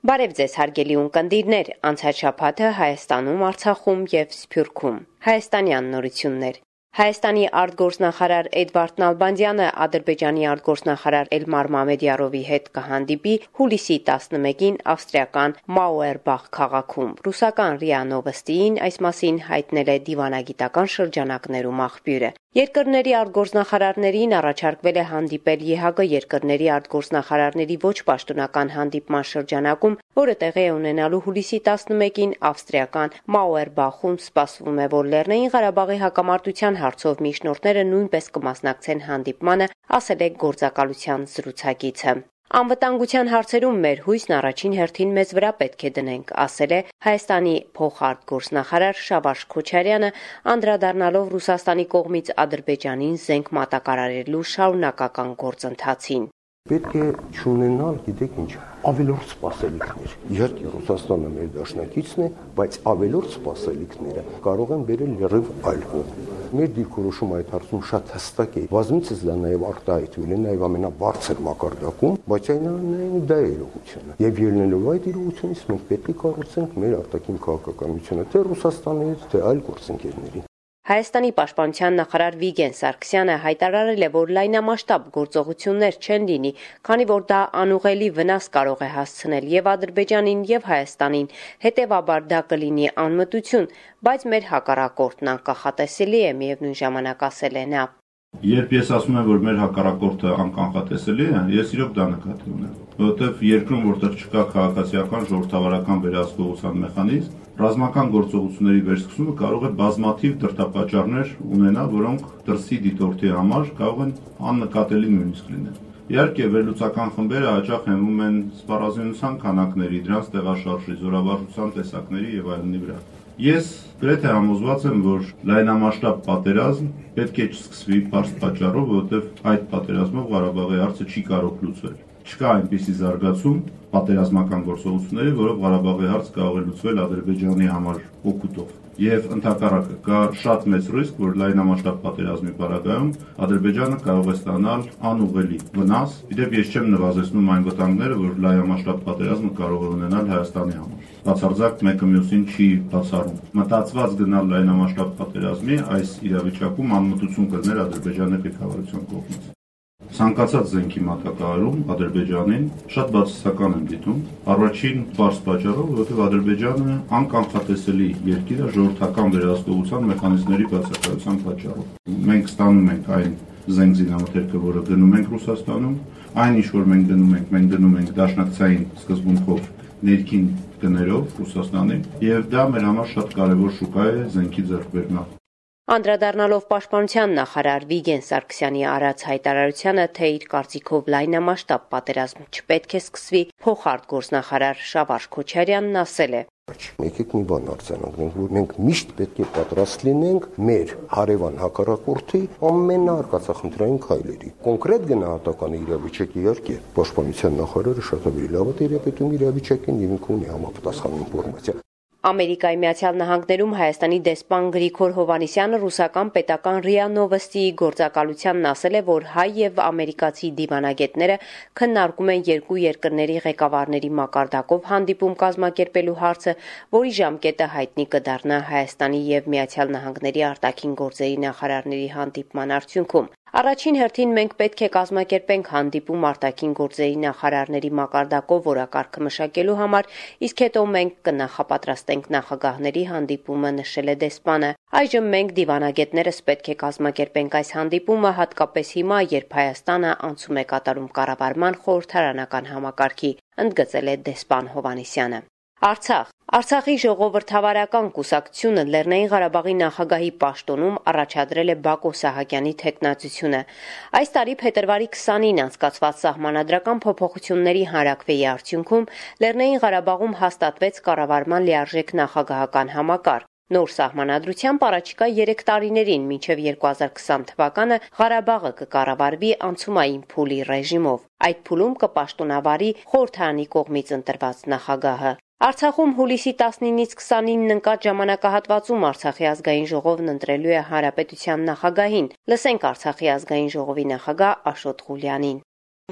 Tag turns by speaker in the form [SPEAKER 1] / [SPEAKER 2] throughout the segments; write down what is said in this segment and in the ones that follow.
[SPEAKER 1] Բարև ձեզ հարգելի ունկնդիրներ, անցած շաբաթը Հայաստանում, Արցախում և Սփյուռքում։ Հայաստանյան նորություններ։ Հայաստանի արտգործնախարար Էդվարդ Նալբանդյանը Ադրբեջանի արտգործնախարար Էլմար Մամեդյարովի հետ կհանդիպի հուլիսի 11-ին ավստրիական Մաուերբախ քաղաքում։ Ռուսական ՌԻԱ Նովոստիին այս մասին հայտնել է դիվանագիտական շրջանակներում աղբյուրը։ Երկրների արտգործնախարարներին առաջարկվել է հանդիպել ԵՀԿ երկրների արտգործնախարարների ոչ պաշտոնական հանդիպման շրջանակում, որը տեղի է ունենալու հուլիսի 11-ին ավստրիական Մաուերբախում։ Սպասվում է, որ Լեռնային Ղարաբաղի հակամարտության հարցով միջնորդները նույնպես կմասնակցեն հանդիպմանը, ասել է գործակալության զրուցակիցը։ Անվտանգության հարցերում մեր հույսն առաջին հերթին մեզ վրա պետք է դնենք, ասել է Հայաստանի փոխարտգործնախարար Շավարշ Քոչարյանը, անդրադառնալով Ռուսաստանի կողմից Ադրբեջանին զենք մատակարարելու շարունակական գործընթացին։
[SPEAKER 2] Պետք է չունենալ, գիտեք ինչ, ավելորդ սպասելիքներ։ Իհարկե Ռուսաստանը մեր դաշնակիցն է, բայց ավելորդ սպասելիքները կարող են բերել լրիվ այլ կողմ։ Մեր դիրքորոշումը այդ հարցում շատ հստակ է։ Բազմիցս դա նաև արտահայտվել է նաև ամենաբարձր մակարդակում, բայց այնուամենայնիվ դա է իրողությունը։ Եվ ելնելով այդ իրողությունից մենք պետք է կառուցենք մեր արտաքին քաղաքականությունը թե Ռուսաստանի հետ, թե այլ գործընկերների։
[SPEAKER 1] Հայաստանի պաշտպանության նախարար Վիգեն Սարգսյանը հայտարարել է, որ լայնամասշտաբ գործողություններ չեն լինի, քանի որ դա անուղղելի վնաս կարող է հասցնել եւ Ադրբեջանին եւ Հայաստանին, հետեւաբար դա կլինի անմտություն, բայց մեր հակառակորդն անկախատեսելի է, միևնույն ժամանակ ասել է նա։
[SPEAKER 3] Երբ ես ասում եմ, որ մեր հակառակորդը անկանխատեսելի է, ես իրոք դա նկատի ունեմ, որովհետև երկրում, որտեղ չկա քաղաքացիական, ժողովրդավարական վերահսկողության մեխանիզմ, ռազմական գործողությունների վերսկսումը կարող է բազմաթիվ դրդապատճառներ ունենալ, որոնք դրսի դիտորդի համար կարող են աննկատելի նույնիսկ լինել։ Իհարկե, վերլուծական խմբերը հաճախ հենվում են սպառազինության քանակների, դրանց տեղաշարժի, զորավարժության տեսակների եւ այլնի վրա։ Ես գրեթե համոզված եմ, որ լայնամասշտաբ պատերազմ պետք է չսկսվի բարձ պատճառով, որովհետև այդ պատերազմով Ղարաբաղի հարցը չի կարող լուծվել։ Չկա այնպիսի զարգացում պատերազմական գործողությունների, որով Ղարաբաղի հարց կարող է լուծվել Ադրբեջանի համար օգուտով։ Եվ ընդհակառակը կա շատ մեծ ռիսկ, որ լայնամասշտաբ պատերազմի պարագայում Ադրբեջանը կարող է ստանալ անուղղելի վնաս։ Իդեպ ես չեմ նվազեցնում այն վտանգները, որ լայնամասշտաբ պատերազմը կարող է ունենալ Հայաստանի համար։ Բացարձակ մեկը մյուսին չի բացառում։ Մտածված գնալ լայնամասշտաբ պատերազմի այս իրավիճակում անմտություն կլներ Ադրբեջանի ղեկավարության կողմից։ Ցանկացած զենքի մատակարարում Ադրբեջանին շատ բացասական եմ դիտում։ Առաջին բարձ պատճառով, որովհետև Ադրբեջանը անկանխատեսելի երկիր է ժողովրդական վերահսկողության մեխանիզմների բացակայության պատճառով։ Մենք ստանում ենք այն զենք զինամթերքը, որը գնում ենք Ռուսաստանում, այն ինչ որ մենք գնում ենք դաշնակցային սկզբունքով ներքին գներով Ռուսաստանին, եւ դա մեր համար շատ կարեւոր շուկա է զենքի ձեռքբերման։
[SPEAKER 1] Անդրադառնալով պաշտպանության նախարար Վիգեն Սարգսյանի արած հայտարարությանը, թե իր կարծիքով լայնամասշտաբ պատերազմ չպետք է սկսվի, փոխարտգործնախարար Շավարշ Քոչարյանն ասել է.
[SPEAKER 2] Եկեք մի բան արձանագրենք, որ մենք միշտ պետք է պատրաստ լինենք մեր հարևան հակառակորդի ամենաարկածախնդրային քայլերի։ Կոնկրետ գնահատականի իրավիճակի իհարկե պաշտպանության նախարարը շատ ավելի լավ է տիրապետում իրավիճակին եւ ինքը ունի համապատասխան ինֆորմացիա։
[SPEAKER 1] Ամերիկայի Միացյալ Նահանգներում Հայաստանի դեսպան Գրիգոր Հովհաննիսյանը ռուսական պետական ՌԻԱ Նովոստիի գործակալությանն ասել է, որ հայ եւ ամերիկացի դիվանագետները քննարկում են երկու երկրների ղեկավարների մակարդակով հանդիպում կազմակերպելու հարցը, որի ժամկետը հայտնի կդառնա Հայաստանի եւ Միացյալ Նահանգների արտաքին գործերի նախարարների հանդիպման արդյունքում։ Առաջին հերթին մենք պետք է կազմակերպենք հանդիպում արտաքին գործերի նախարարների մակարդակով օրակարգը մշակելու համար, իսկ հետո մենք կնախապատրաստենք նախագահների հանդիպումը, նշել է դեսպանը։ Այժմ մենք դիվանագետներս պետք է կազմակերպենք այս հանդիպումը, հատկապես հիմա, երբ Հայաստանը անցում է կատարում կառավարման խորհրդարանական համակարգի, ընդգծել է դեսպան Հովհաննիսյանը։ Արցախի ժողովրդավարական կուսակցությունը Լեռնային Ղարաբաղի նախագահի պաշտոնում առաջադրել է Բակո Սահակյանի թեկնածությունը։ Այս տարի փետրվարի 20-ին անցկացված սահմանադրական փոփոխությունների հանրաքվեի արդյունքում Լեռնային Ղարաբաղում հաստատվեց կառավարման լիարժեք նախագահական համակարգ։ Նոր սահմանադրությամբ առաջիկա 3 տարիներին մինչև 2020 թվականը Ղարաբաղը կկառավարվի անցումային փուլի ռեժիմով։ Այդ փուլում կպաշտոնավարի խորհրդարանի կողմից ընտրված նախագահը։ Արցախում հուլիսի 19-ից 29-ն ընկած ժամանակահատվածում Արցախի ազգային ժողովն ընտրելու է հանրապետության նախագահին։ Լսենք Արցախի ազգային ժողովի նախագահ Աշոտ Ղուլյանին։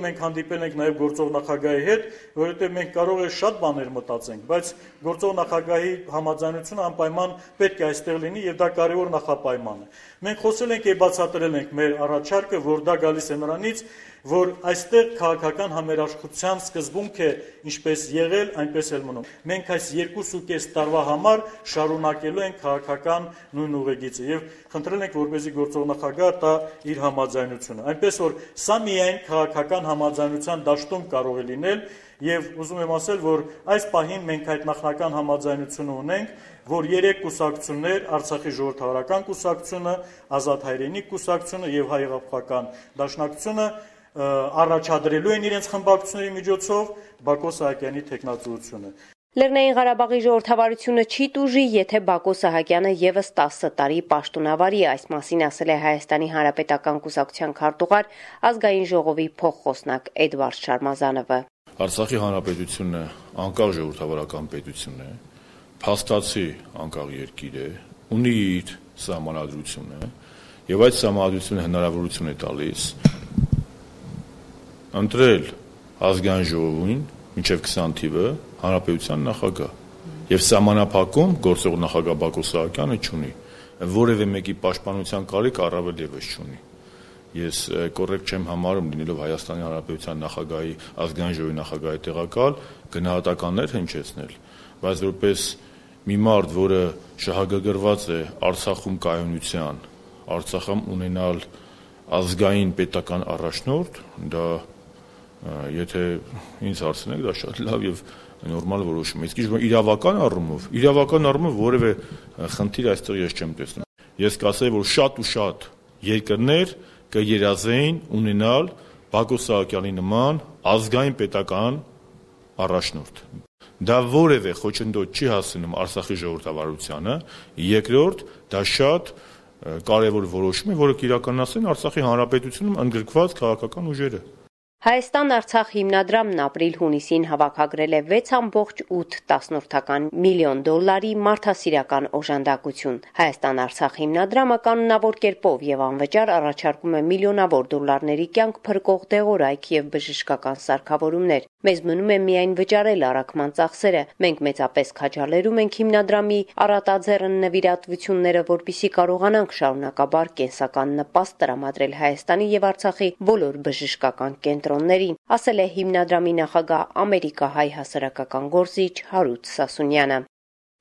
[SPEAKER 4] Մենք հանդիպել ենք նաև գործող նախագահի հետ, որովհետև մենք կարող է շատ բաներ մտածենք, բայց գործող նախագահի համաձայնությունը անպայման պետք է այստեղ լինի եւ դա կարևոր նախապայման է։ Մենք խոսել ենք եւ բացատրել ենք մեր առաջարկը, որ դա գալիս է նրանից, որ այստեղ քաղաքական համերաշխության սկզբունք է ինչպես եղել, այնպես էլ մնում։ Մենք այս 2.5 տարվա համար շարունակելու ենք քաղաքական նույն ուղեգիծը եւ խնդրել ենք, որպեսզի գործող նախագահը տա իր համաձայնությունը։ Այնպես որ սա միայն քաղաքական համաձայնության դաշտում կարող է լինել եւ ուզում եմ ասել, որ այս պահին մենք այդ նախնական համաձայնությունը ունենք, որ 3 կուսակցություններ, Արցախի ժողովրդավարական կուսակցությունը, Ազատ հայրենիք կուսակցությունը եւ Հայ-Աղափական դաշնակցությունը առաջադրելու են իրենց խմբակցությունների միջոցով Բակո Սահակյանի թեկնածուությունը։
[SPEAKER 1] Լեռնային Ղարաբաղի ժողովրդավարությունը չի տուժի, եթե Բակո Սահակյանը եւս 10 տարի պաշտոնավարի, այս մասին ասել է Հայաստանի Հանրապետական կուսակցության քարտուղար ազգային ժողովի փոխխոսնակ Էդվարդ Շարմազանովը։
[SPEAKER 5] Արցախի Հանրապետությունը անկախ ժողովրդավարական պետություն է, փաստացի անկախ երկիր է, ունի իր սահմանադրությունը եւ այդ սահմանադրությունը հնարավորություն է տալիս ընտրել ազգային ժողովին մինչև 20 թիվը հանրապետության նախագահ եւ սահմանափակում գործող նախագահ Բակո Սահակյանը չունի, որևէ մեկի պաշտպանության կարիք առավել եւս չունի։ Ես կոռեկտ չեմ համարում լինելով Հայաստանի Հանրապետության նախագահի ազգային ժողովի նախագահի տեղակալ գնահատականներ հնչեցնել, բայց որպես մի մարդ, որը շահագրգռված է Արցախում կայունության, Արցախում ունենալ ազգային պետական առաջնորդ, դա եթե ինձ հարցնեք, դա շատ լավ եւ նորմալ որոշում է։ Իսկ իրավական առումով որևէ խնդիր այստեղ ես չեմ տեսնում։ Ես կասեի, որ շատ ու շատ երկրներ կերազեին ունենալ Բակո Սահակյանի նման ազգային պետական առաջնորդ։ Դա որևէ խոչընդոտ չի հասնում Արցախի ժողովրդավարությանը, երկրորդ դա շատ կարևոր որոշում է, որը կիրականացնեն Արցախի Հանրապետությունում ընդգրկված քաղաքական ուժերը։
[SPEAKER 1] Հայաստան-Արցախ հիմնադրամն ապրիլ-հունիսին հավաքագրել է 6.8 միլիոն դոլարի մարդասիրական օժանդակություն։ Հայաստան-Արցախ հիմնադրամը կանոնավոր կերպով եւ անվճար առաջարկում է միլիոնավոր դոլարների կյանք փրկող դեղորայք եւ բժշկական սարքավորումներ։ Մեզ մնում է միայն վճարել առաքման ծախսերը։ Մենք մեծապես քաջալերում ենք հիմնադրամի առատաձեռն նվիրատվությունները, որպեսզի կարողանանք շարունակաբար կենսական նպաստ տրամադրել Հայաստանի եւ Արցախի բոլոր բժշկական կենտրոններին, ասել է հիմնադրամի նախագահ ամերիկահայ հասարակական գործիչ Հարութ Սասունյանը։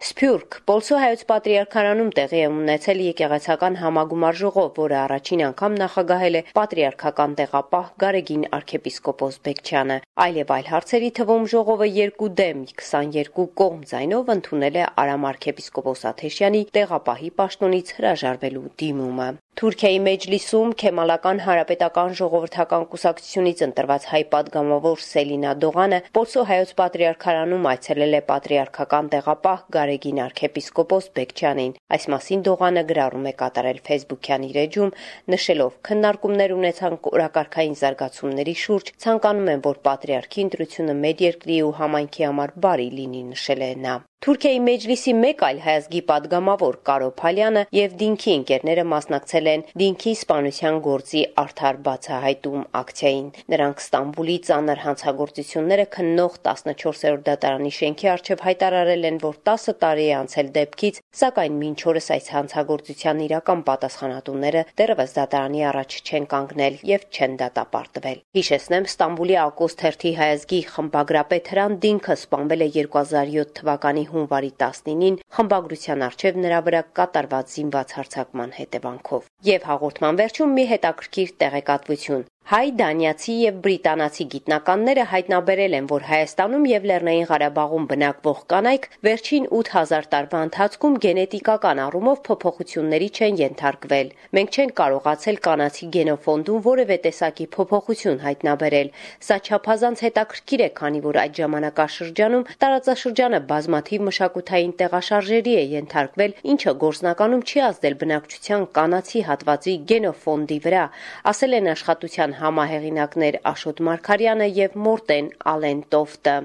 [SPEAKER 1] Սփյուռք Պոլսո հայոց պատրիարքարանում տեղի է ունեցել եկեղեցական համագումար ժողով, որը առաջին անգամ նախագահել է պատրիարքական տեղապահ Գարեգին arczepiskopos Բեկչյանը։ Այլ եւ այլ հարցերի թվում ժողովը 2 դեմ 22 կողմ ձայնով ընդունել է Արամ arczepiskopos Աթեշյանի տեղապահի պաշտոնից հրաժարվելու դիմումը։ Թուրքիայի մեջլիսում Քեմալական հանրապետական ժողովրդական կուսակցությունից ընտրված հայ պատգամավոր Սելինա Դողանը Պոլսո հայոց պատրիարքարանում այցելել է պատրիարքական տեղապահ Գարեգին arczepiskopos Բեկչյանին։ Այս մասին Դողանը գրառում է կատարել Facebook-յան իր էջում, նշելով. քննարկումներ ունեցանք օրակարգային զարգացումների շուրջ, ցանկանում եմ, որ պատրիարքի ընտրությունը մեր երկրի ու համայնքի համար բարի լինի, նշել է նա։ Թուրքիայի մեջլիսի մեկ այլ հայազգի պատգամավոր Կարո Փալյանը եւ Դինքի ընկերները մասնակցել են Դինքի սպանության գործի արդար բացահայտում ակցիային։ Նրանք Ստամբուլի ծանր հանցագործությունները քննող 14-րդ դատարանի շենքի առջև հայտարարել են, որ 10 տարի է անցել դեպքից, սակայն մինչ օրս այս հանցագործության իրական պատասխանատուները դեռևս դատարանի առաջ չեն կանգնել եւ չեն դատապարտվել։ Հիշեցնեմ, Ստամբուլի Ակոստ թերթի հայազգի խմբագրապետ Հրանտ Դինքը սպանվել է 2007 թվականի հունվարի 19-ին խմբագրության առջև նրա վրա կատարված զինված հարձակման հետևանքով։ Եվ հաղորդման վերջում մի հետաքրքիր տեղեկատվություն։ Հայ, դանիացի եւ բրիտանացի գիտնականները հայտնաբերել են, որ Հայաստանում եւ Լեռնային Ղարաբաղում բնակվող կանայք վերջին 8000 տարվա ընթացքում գենետիկական առումով փոփոխությունների չեն ենթարկվել։ Մենք չենք կարողացել կանացի գենոֆոնդում որևէ տեսակի փոփոխություն հայտնաբերել։ Սա չափազանց հետաքրքիր է, քանի որ այդ ժամանակաշրջանում տարածաշրջանը բազմաթիվ մշակութային տեղաշարժերի է ենթարկվել, ինչը գործնականում չի ազդել բնակչության կանացի հատվածի գենոֆոնդի վրա, ասել են աշխատության համահեղինակներ Աշոտ Մարգարյանը եւ Մորտեն Ալեն Տոֆտը։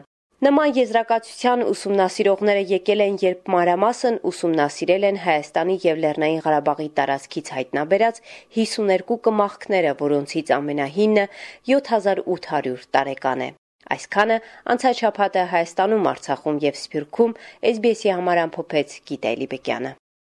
[SPEAKER 1] Նման եզրակացության ուսումնասիրողները եկել են, երբ մանրամասն ուսումնասիրել են Հայաստանի եւ Լեռնային Ղարաբաղի տարածքից հայտնաբերած 52 կմախքները, որոնցից ամենահինը 7800 տարեկան է։ Այսքանը անցած շաբաթը Հայաստանում, Արցախում եւ Սփյուռքում SBS-ի համար ամփոփեց Գիտա Էլիբեկյանը։